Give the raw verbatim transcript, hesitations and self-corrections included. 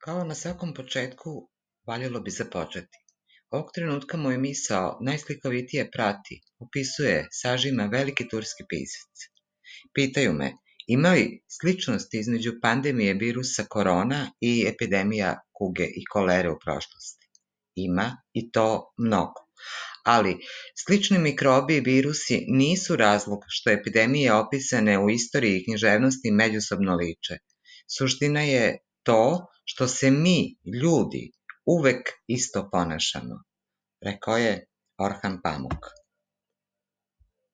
Kao na svakom početku, valjalo bi započeti. Ovog trenutka moju misao najslikovitije prati, opisuje, sažima veliki turski pisac. Pitaju me, ima li sličnosti između pandemije virusa korona i epidemija kuge i kolere u prošlosti? Ima, i to mnogo. Ali, slični mikrobi i virusi nisu razlog što epidemije opisane u istoriji i književnosti međusobno liče. Suština je to što se mi, ljudi, uvek isto ponašamo, rekao je Orhan Pamuk.